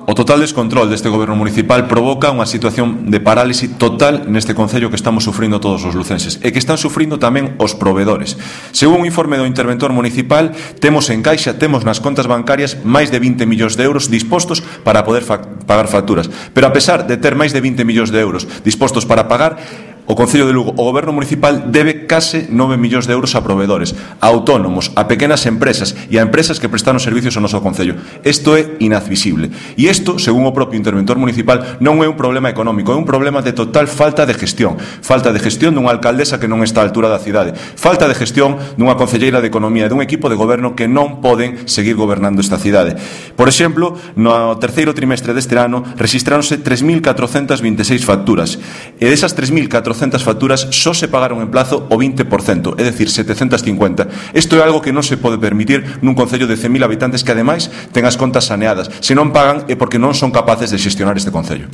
O total descontrol deste goberno municipal provoca unha situación de parálise total neste concello que estamos sufrindo todos os lucenses e que están sufrindo tamén os provedores. Según un informe do interventor municipal, temos en caixa, temos nas contas bancarias máis de 20 millóns de euros dispostos para poder pagar facturas. Pero a pesar de ter máis de 20 millóns de euros dispostos para pagar, o Concello de Lugo, o Goberno Municipal, debe case 9 millóns de euros a provedores, a autónomos, a pequenas empresas e a empresas que prestaron servicios ao noso Concello. Isto é inadmisible. E isto, según o propio interventor municipal, non é un problema económico, é un problema de total falta de gestión. Falta de gestión dunha alcaldesa que non está á altura da cidade. Falta de gestión dunha concelleira de Economía e dun equipo de goberno que non poden seguir gobernando esta cidade. Por exemplo, no terceiro trimestre deste ano rexistráronse 3.426 facturas. E desas 3.426 facturas só se pagaron en plazo o 20%, é dicir, 750. Isto é algo que non se pode permitir nun concello de 100.000 habitantes que ademais ten as contas saneadas. Se non pagan é porque non son capaces de xestionar este concello.